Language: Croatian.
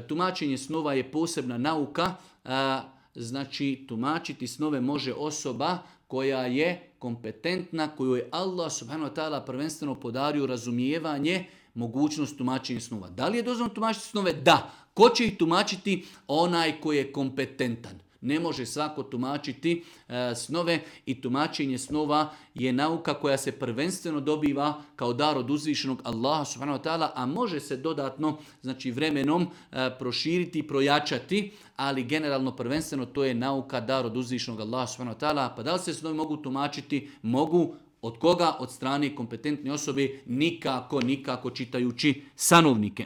Tumačenje snova je posebna nauka, znači tumačiti snove može osoba koja je kompetentna, koju je Allah subhanahu wa ta'ala prvenstveno podario razumijevanje, mogućnost tumačenja snova. Da li je dozvoljeno tumačiti snove? Da. Ko će ih tumačiti? Onaj koji je kompetentan. Ne može svako tumačiti snove i tumačenje snova je nauka koja se prvenstveno dobiva kao dar od uzvišenog Allaha subhanahu wa ta'ala, a može se dodatno, znači vremenom proširiti i projačati, ali generalno prvenstveno to je nauka dar od uzvišenog Allaha subhanahu wa ta'ala. Pa da li se snovi mogu tumačiti? Mogu. Od koga? Od strane kompetentne osobe, nikako čitajući sanovnike.